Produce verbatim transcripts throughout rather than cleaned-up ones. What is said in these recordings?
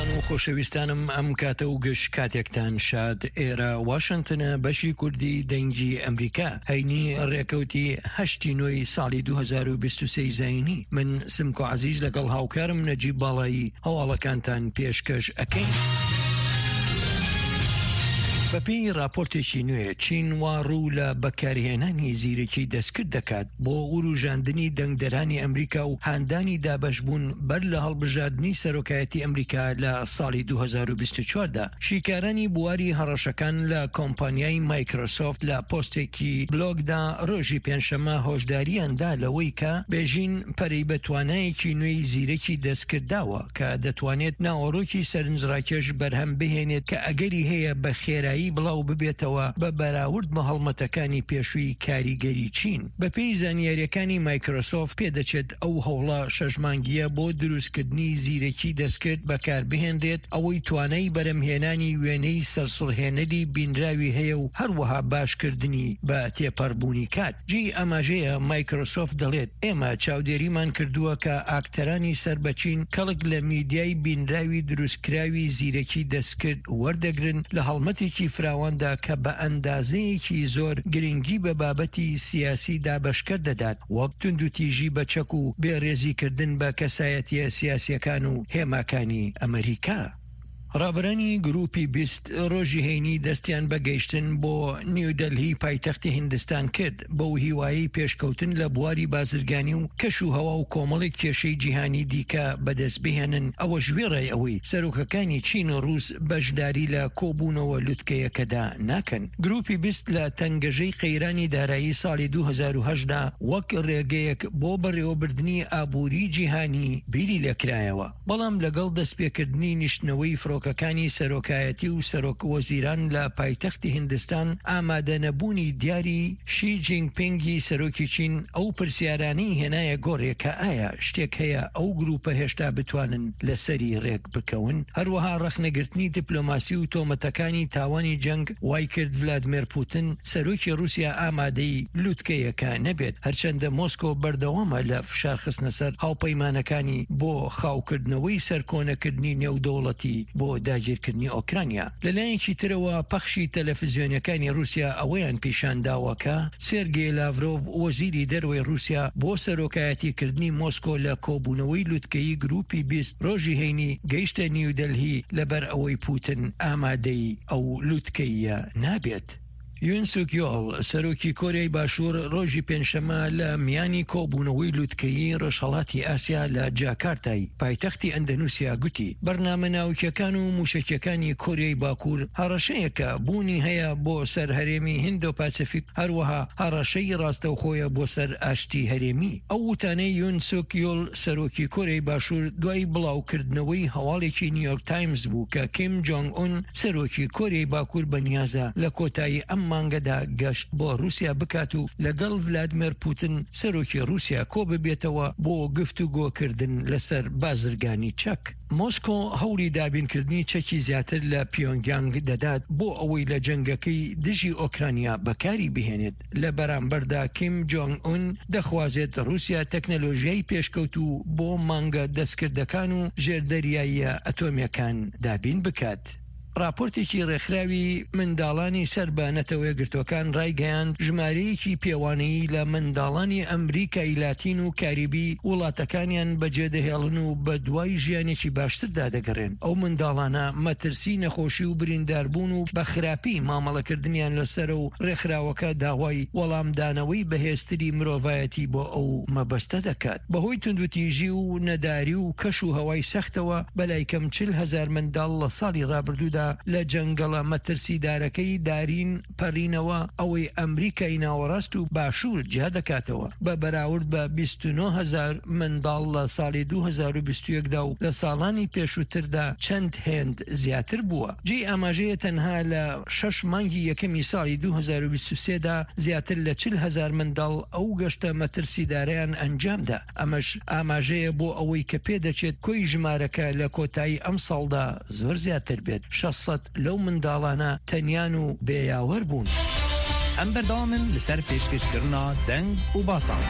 ئازیزان و خۆشەویستانم، ئەم کاتە و گشت کاتێکتان شاد. ئێرە واشنتنە، بەشی کوردی دەنگی ئەمریکا، هەینی ڕێکەوتی هەشتی نۆی ساڵی دوو هەزار و بیست و سێ زایینی. من سمکۆ عەزیز لەگەڵ هاوکارم نەجیب باڵایی هەواڵەکانتان پێشکەش ئەکەین. بەپێی راپۆرتێکی نوێ، چین وا ڕوو لە بەکارهێنانی زیرەکی دەستکرد دەکات بۆ وروژاندنی دەنگدەرانی ئەمریکا و هاندانی دابەشبوون بەر لە هەڵبژاردنی سەرۆکایەتی ئەمریکا لە ساڵی دوو هەزار و بیست و چوار دا. شیکارانی بواری هەڕەشەکان لە کۆمپانیای مایکرۆسۆفت لە پۆستێکی بلۆگدا ڕۆژی پێنجشەممە هۆشداریان دا لەوەی کە بێژین پەرەی بە توانایەکی نوێی زیرەکی دەستکرد داوە کە دەتوانێت ناوەڕۆکی سەرنجڕاکێش بەرهەم بهێنێت کە ئەگەری هەیە بە خێرایی بڵاو ببێتەوە بە بەراورد بە هەڵمەتەکانی پێشووی کاریگەری چین. بەپێی زانیاریەکانی مایکرۆسۆفت پێدەچێت ئەو هەوڵە شەش مانگیە بۆ دروستکردنی زیرەکی دەستکرد بەکاربهێنرێت، ئەوەی توانای بەرەمهێنانی وێنەی سەرسوڕهێنەری بینراوی هەیە و هەروەها باشکردنی بە تێپەڕبوونی کات. جێی ئاماژەیە مایکرۆسۆفت دەڵێت ئێمە چاودێریمان کردووە کە ئاکتەرانی سەر بە چین کەڵک لە میدیای بینراوی دروستکراوی زیرەکی دەستکرد وەردەگرن لە هەڵمەتێکی فراواندا کە بە ئەندازەیەکی زۆر گرنگی بە بابەتی سیاسی دابەشکەر دەدات، وەک توندوتیژی بە چەک و بێڕێزیکردن بە کەسایەتیە سیاسیەکان و هێماکانی ئەمریکا. ڕابەرانی گروپی بیست ڕۆژی هەینی دەستیان بە گەیشتن بۆ نیودەلهی پایتەختی هیندستان کرد، بەو هیوایەی پێشکەوتن لە بواری بازرگانی و کەش و هەوا و کۆمەڵێک کێشەی جیهانی دیکە بەدەست بهێنن، ئەوەش وێڕای ئەوەی سەرۆکەکانی چین و ڕووس بەشداری لە کۆبوونەوە لوتکەیەکەدا ناکەن. گروپی بیست لە تەنگەژەی قەیرانی دارایی ساڵی دوو هەزار و هەشت دا وەک ڕێگەیەک بۆ بەڕێوەبردنی ئابووری جیهانی بیری لێکرایەوە، بەڵام لەگەڵ دەستپێکردنی نیشتنەوەی فڕۆکەکانی سەرۆکایەتی و سەرۆک وەزیران لە پایتەختی هیندستان، ئامادەنەبوونی دیاری شی جینگ پینگی سەرۆکی چین ئەو پرسیارانەی هێنایە گۆڕێ کە ئایا شتێک هەیە ئەو گروپە هێشتا بتوانن لەسەری ڕێک بکەون. هەروەها ڕەخنەگرتنی دیپلۆماسی و تۆمەتەکانی تاوانی جەنگ وای کرد ڤلادیمێر پوتن سەرۆکی رووسیا ئامادەی لوتکەیەکە نەبێت، هەرچەندە مۆسکۆ بەردەوامە لە فشار خستنە سەر هاوپەیمانەکانی بۆ خاوکردنەوەی سەرکۆنەکردنی نێودەوڵەتی بۆ داگیرکردنی ئۆکرانیا. لەلایەکی ترەوە پەخشی تەلەفزیۆنەکانی رووسیا ئەوەیان پیشانداوە کە سێرگی لاڤرۆڤ وەزیری دەرەوەی رووسیا بۆ سەرۆکایەتیکردنی مۆسکۆ لە کۆبوونەوەی لوتکەیی گروپی بیست ڕۆژی هەینی گەیشتە نیودەلهی لەبەر ئەوەی پوتن ئامادەی ئەو لوتکەیە نابێت. یون سوک یۆل سەرۆکی کۆریای باشوور ڕۆژی پێنجشەممە لە میانی کۆبوونەوەی لوتکەیی ڕۆژهەڵاتی ئاسیا لە جاکارتای پایتەختی ئەندەنوسیا گوتی بەرنامە ناوکیەکان و موشەکیەکانی کۆریای باکوور هەڕەشەیەکە بوونی هەیە بۆ سەر هەرێمی هیندۆ پاسیفیک، هەروەها هەڕەشەی ڕاستەوخۆیە بۆ سەر ئاشتی هەرێمی. ئەو وتانەی یون سوک یۆل سەرۆکی کۆریای باشوور دوای بڵاوکردنەوەی هەواڵێکی نیویۆرک تایمز بوو کە کیم جۆنگ ئون سەرۆکی کۆریای باکوور بەنیازە لە کۆتایی ئەم مانگەدا گەشت بۆ رووسیا بکات و لەگەڵ ڤلادیمێر پوتن سەرۆکی رووسیا کۆ ببێتەوە بۆ گفتوگۆکردن لەسەر بازرگانی چەک. مۆسکۆ هەوڵی دابینکردنی چەکی زیاتر لە پیۆنگیانگ دەدات بۆ ئەوەی لە جەنگەکەی دژی ئۆکرانیا بەکاری بهێنێت. لە بەرامبەردا کیم جۆنگ ئون دەخوازێت رووسیا تەکنەلۆژیای پێشکەوتوو بۆ مانگە دەستکردەکان و ژێردەریاییە ئەتۆمیەکان دابین بکات. راپۆرتێکی ڕێکخراوی منداڵانی سەر بە نەتەوەیەکگرتووەکان ڕایگەیاند ژمارەیەکی پێوانەیی لە منداڵانی ئەمریکای لاتین و کاریبی وڵاتەکانیان بەجێدەهێڵن و بە دوای ژیانێکی باشتردا دەگەڕێن. ئەو منداڵانە مەترسی نەخۆشی و برینداربوون و بە خراپی مامەڵەکردنیان لەسەرە و ڕێکخراوەکە داوای وەڵامدانەوەی بەهێزتری مرۆڤایەتی بۆ ئەو مەبەستە دەکات. بەهۆی توندوتیژی و نەداری و کەش و هەوای سەختەوە بەلای کەم چل هەزار منداڵ لە ساڵی ڕابردوودا لە جەنگەڵە مەترسیدارەکەی دارین پەڕینەوە، ئەوەی ئەمریکای ناوەڕاست و باشوور جیا دەکاتەوە بە بەراورد بە بیست و نۆ هەزار منداڵ لە ساڵی دوو هەزار و بیست و یەک دا و لە ساڵانی پێشووتردا چەند هێند زیاتر بووە. جێی ئاماژەیە تەنها لە شەش مانگی یەکەمی ساڵی دوو هەزار و بیست و سێ دا زیاتر لە چل هەزار منداڵ ئەو گەشتە مەترسیدارەیان ئەنجامدا، ئەمەش ئاماژەیە بۆ ئەوەی کە پێدەچێت کۆی ژمارەکە لە کۆتایی ئەمساڵدا زۆر زیاتر بێت. شەش سەد لەو منداڵانە تەنیان و بێیاوەر بوون. ئەم بەردەوامن لەسەر پێشکەشکردنا دەنگ و باسان.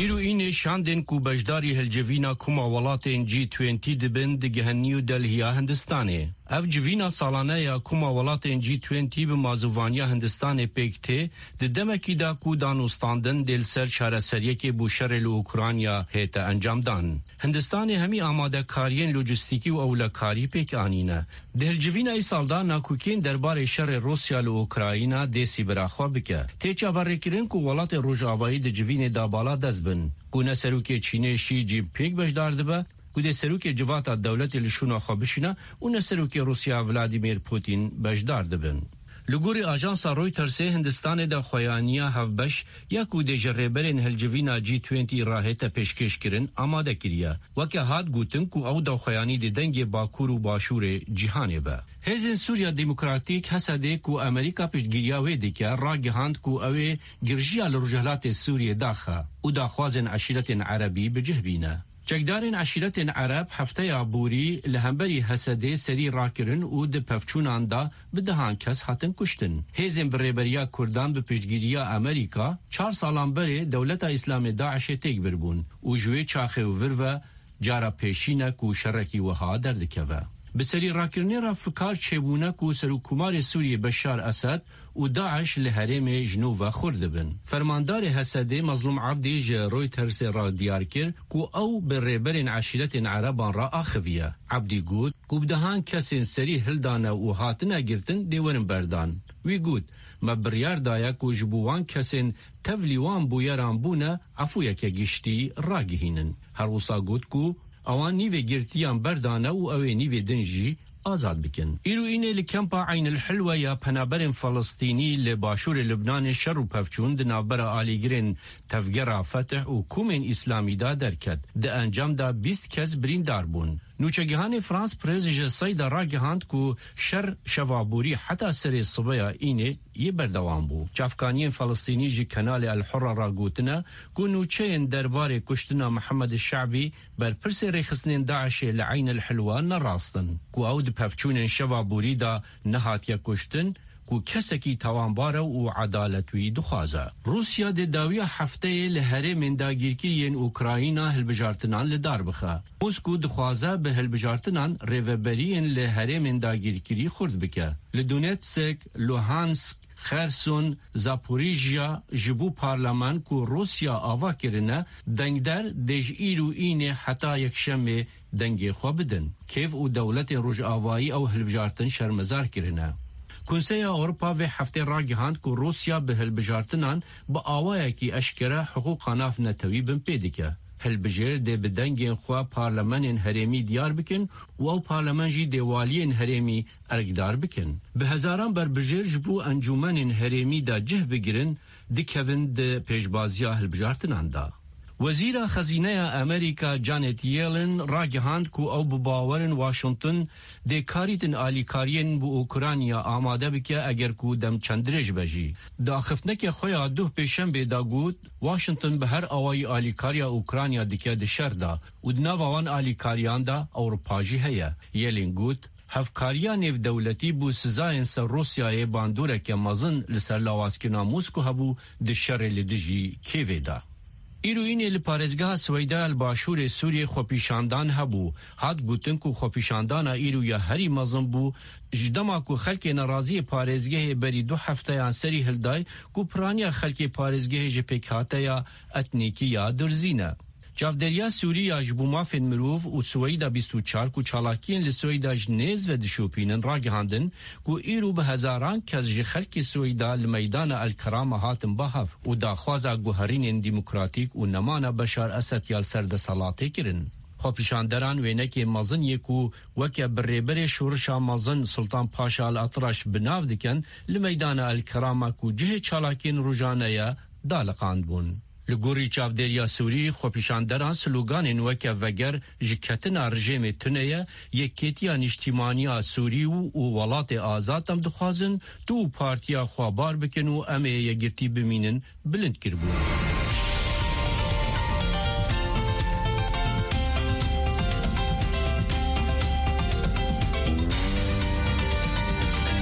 Îro înê şandên ku beşdarî hilcivîna Koma Welatên G بیست dibin digihin New Delhiya Hindistanê. Ev civîna salane ya Koma Welatên G بیست bi mazûvaniya Hindistanê pêk tê, di demekî de ku danûstandin dê li ser çareseriyekê bo şerê li Ukrayna hête encamdan. Hindistanê hemî amadekariyên lojistîkî û ewlekarî pêk anîne. Di hilcivîna îsal de nakokiyên derbarê şerê Rûsya li Ukrayna dê sîbira xwe bike. Tê çaverêkirin ku welatê Rojavayî di civînê de bala dest bin. Ku ne serokê Çînê Xi Jinping beşdar dibe, ku dê serokê civata dewletê li şûna xwe bişîne û ne serokê Rûsya Vladimir Putin beşdar dibin. Li gorî ajansa Reutersê Hindistanê de xweyaniya hevbeş ya ku dê ji rêberên hilcivîna G بیست re hête pêşkêşkirin amade kiriye. Weke hat gotin ku ew daxuyanî dê dengê Bakur û Başûrê cîhanê be. Hêzên Sûriya Demokratîk Hesedê ku Amerîka piştgiriya wê dike ragihand ku ew ê girjiya li Rojhilatê Sûriyê daxe û daxwazên eşîretên Erebî bi cih bîne. Çekdarên eşîretên Ereb hefteya borî li hemberî Hesedê serî rakirin û di pevçûnan de bi dehan kes hatin kuştin. Hêzên bi rêberiya Kurdan bi piştgiriya Amerîka çar salan berê Dewleta Îslamê Daişê têk birbûn û ji wê çaxê û vir ve cara pêşîne ku şerekî wiha derdikeve. Bi serî rakirinê re fikar çêbûne ku Serokkomarê Sûriyê Beşar Esed û Daeş li herêmê ji nû ve xur dibin. Fermandarê Hesedê Mazlûm Abdî ji Reutersê re diyar kir ku ew bi rêberên eşîretên Ereban re axiviye. Abdî got ku bi dehan kesên serî hildane û hatine girtin dê werin berdan. Wî got me biryar daye ku ji bo wan kesên tevlî wan bûyeran bûne efûyeke giştî ragihînin. Her wisa got ku ewan nîvê girtiyan berdane û ew ê nîvê din jî azad bikin. Îro înê li kempa Eyn el Hilwe ya penaberên Filistînî li başûrê Lubnanê şer û pevçûn di navbera alîgirên Tevgera Fetih û komên Îslamî de derket. Di encam de bîst kes birîndar bûn. Nûçegihanê France Press ji Seyda ragihand ku şer şeva borî heta serê sibeya înê yê berdewam bû. Çavkaniyên Filistînî ji kanalê El Hurra re gotine ku nûçeyên derbarê kuştina Mihemed Şe'bî berpirsê rêxistinên Daişê li Eyn el Hilwe nerastin ku ew di pevçûnên şeva borî de nehatiye kuştin ku kesekî tawanbar e û edalet wî dixwaze. Rûsya dê dawiya hefteyê li herêmên dagirkî yên Ukrayna hilbijartinan li dar bixe. Moskw dixwaze bi hilbijartinan rêveberiyên li herêmên dagirkirî xurt bike. Li Donetsk, Luhansk, Kherson, Zaporijya ji bo parlamen ku Rûsya ava kirine dengder dê ji îro înê heta yekşemê dengê xwe bidin. Kêv û dewletên Rojavayî ew hilbijartin şermezar kirine. Konseya Ewropa vê heftê ragihand ku Rûsya bi hilbijartinan bi awayekî eşkere hiqûqa navnetewî bin pê dike. Hilbijêr dê bi dengên xwe parlamenên herêmî diyar bikin û ew parlamen jî dê waliyên herêmî erkdar bikin. Bi hezaran berbijêr ji bo encûmenên herêmî de cih bigirin dikevin di pêşbaziya hilbijartinan de. Wezîra Xezîneya Amerîka Janet Yellen ragihand ku ew bi bawerin Washington dê karîtin alîkariyên bo Ukrayna amade bike eger ku dem çend dirêj be jî. Di axiftineke xwe ya duh pêşembê de got Washington bi her awayî alîkariya Ukrayna dike di şer de û di nava wan alîkariyan de Ewropa jî heye. Yellen got hevkariya nêvdewletî bû sizayên ser Rûsyayê bandoreke mezin li ser lawazkirina Moskw hebû di şerê li dijî Kêvê de. Îro înê li parêzgeha Swêda li başûrê Sûriyê xwepêşandan hebû. Hat gotin ku xwepêşandana îro ya herî mezin bû ji dema ku xelkê neraziyê parêzgehê berî du hefteyan serî hilday ku piraniya xelkê parêzgehê ji pêkhateya etnîkî ya Durzî ne. Çavdêriya Sûrî ya ji bo mafên mirov û Swêda bîst û çar ku çalakiyên li Swêda ji nêz ve dişopînin ragihandin ku îro bi hezaran kes ji xelkê Swêda li meydana El Kerama hatin bahev û daxwaza guherînên demokratîk û nemana Beşar Esed ya li ser deselatê kirin. Xwepêşanderan wênekê mezin yê ku weke bi rêberê şorişa mezin Sultan Paşa El Atraş bi nav dikin li meydana El Kerama ku cihê çalakiyên rojane ye daliqandbûn. Li gorî çavdêriya Sûrî xwepêşanderan sloganên weke veger ji ketina rejîmê tune ye, yekêtiya nîştîmaniya Sûrî û welatê azad em dixwazin tu û partiya xwe bar bikin û em ê yekgirtî bimînin bilind kiribûn.